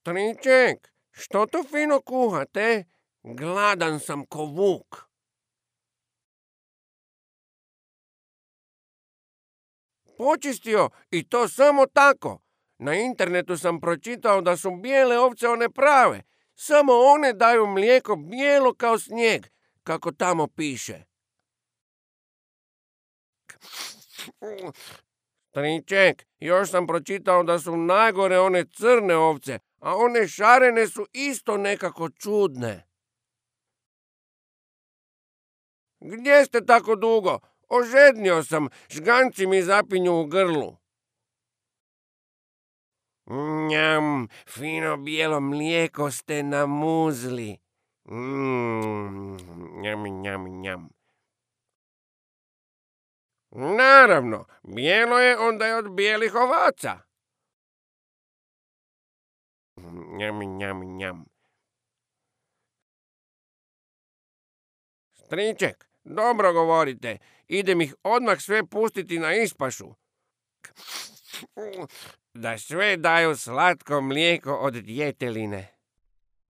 Striček, što to fino kuhate? Gladan sam ko vuk. Počistio, i to samo tako. Na internetu sam pročitao da su bijele ovce one prave. Samo one daju mlijeko bijelo kao snijeg, kako tamo piše. Striček, još sam pročitao da su najgore one crne ovce, a one šarene su isto nekako čudne. Gdje ste tako dugo? Ožednio sam, žganci mi zapinju u grlu. Njam, fino bijelo mlijeko ste namuzli. Njam, njam, njam. Naravno, bijelo je onda je od bijelih ovaca. Njam, njam, njam. Striček, dobro govorite. Idem ih odmah sve pustiti na ispašu. Da sve daju slatko mlijeko od djeteline.